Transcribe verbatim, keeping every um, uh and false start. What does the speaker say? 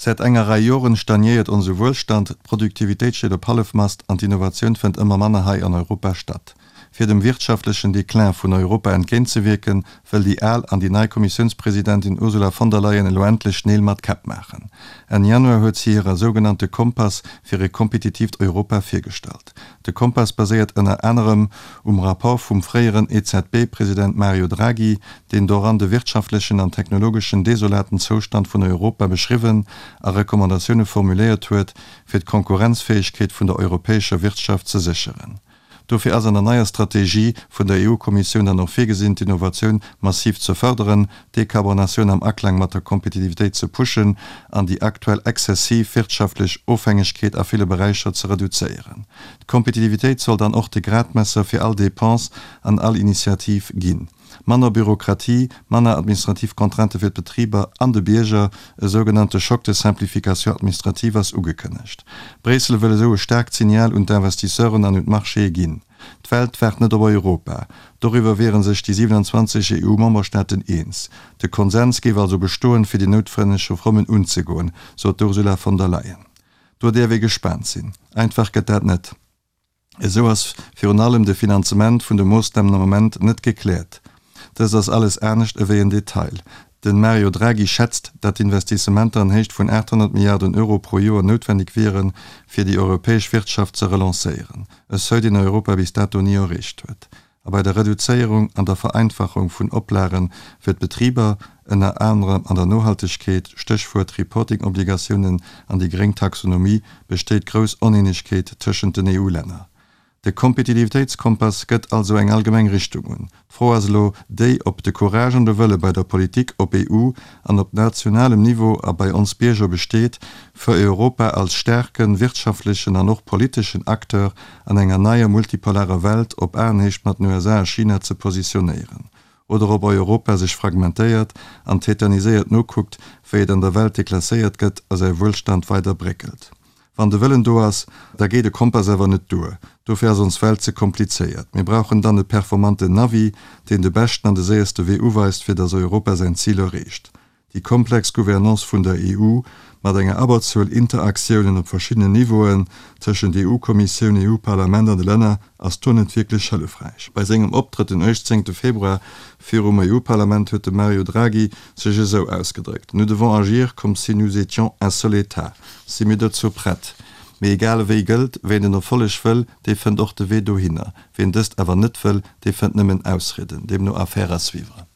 Säit enger Rei Joren stagnéiert onse Wuelstand, d'Produktivitéit steet op Hallefmast an d'Innovatioun fënnt ëmmer manner hei an Europa statt. Fir dem wirtschaftlechen Declin vun Europa entgéintzewierken, wëll déi al an déi nei Kommissiounspresidentin Ursula von der Leyen elo endlech Neel mat Käpp maachen. Enn Januar huet si hire sougenannte Kompass fir e kompetitiivt Europa virgestallt. De Kompass baséiert ënner anerem um Rapport vum fréieren E Z B-President Mario Draghi, deen doran de wirtschaftlechen an technologeschen desolaten Zoustand vun Europa beschriwwen a Recommandatioune formuléiert huet, fir d'Konkurrenzfäegkeet vun der europäescher Wirtschaft ze sécheren. Dofir ass an der neier Strategie vun der E U-Kommissioun dann och virgesinn, d'Innovatioun massiv ze fërderen, d'Dekarbonatioun am Aklang mat der Kompetitivitéit ze pushen an déi aktuell exzessiv wirtschaftlech Ofhängegkeet a ville Beräicher ze reduzéieren. D'Kompetitivitéit soll dann och de Gradmesser fir all Depense an all Initiativ ginn. Manner Bürokratie, manner administrativ Contraintë fir d'Betriber an de Bierger, e sougenannte Choc de simplification administrative ass ugekënnegt. Bréissel wëll esou e staarkt Signal un d'Investisseuren an un d'Marchéë ginn. D'Welt waart net op Europa. Doriwwer wiere sech déi siewenanzwanzeg E U-Memberstaaten eens. De Konsens géif also bestoen, fir déi noutwenneg Reformen unzegoen, sot d'Ursula von der Leyen. Do däerf ee gespaant sinn. Einfach gëtt dat net. Esou ass virun allem de Finanzement vun de Moossnamen am Moment net gekläert. Dëst ass alles anescht ewéi en Detail. De Mario Draghi schätzt, datt Investissementer an Héicht vun aathonnert Milliarden Euro pro Joer noutwenneg wieren, fir déi europäesch Wirtschaft ze relancéieren, e Seuil, deen Europa bis dato ni erreecht huet. A bei der Reduzéierung an der Vereinfachung vun Oplage fir d'Betriber, ënner anerem an der Nohaltegkeet, Stéchwuert Reporting-Obligatiounen an déi gréng Taxonomie, besteet grouss Oneenegkeet tëschent den E U-Länner. De Kompetitivitéitskompass gëtt also eng allgemeng Richtung un. D'Fro ass elo déi, ob de Courage an de Wëlle bei der Politik op E U an op nationalem Niveau a bei ons Bierger besteet, fir Europa als staarken wirtschaftlechen an och politeschen Acteur an enger neier multipolarer Welt op Aenhéicht mat den U S A a China ze positionéieren. Oder ob Europa sech fragmentéiert an tetaniséiert nokuckt, wéi et an der Welt deklasséiert gëtt a säi Wuelstand weider bréckelt. Wann de Wëllen do ass, da geet e Kompass awer net duer. Dofir ass ons Welt ze komplizéiert. Mir brauchen dann e performanten Navi, deen de beschten an de séierste Wee uweist, fir datt Europa säin Zil erreecht. Déi komplex Gouvernance vun der E U mat enger Abberzuel Interaktiounen op verschiddenen Niveauen tëschent E U-Kommissioun, E U-Parlament an de Länner ass do net wierklech hëllefräich. Bei sengem Optrëtt den uechtzéngte Februar virum E U-Parlament huet de Mario Draghi sech esou ausgedréckt, Nous devons agir comme si nous étions un seul État. Si mir dozou prett? Mee egal ewéi gëllt, wien den Erfolleg wëll, dee fënnt och de Wee dohinner. Wien dëst awer net wëll, dee fënnt nëmmen Ausrieden. Deemno Affaire à suivre.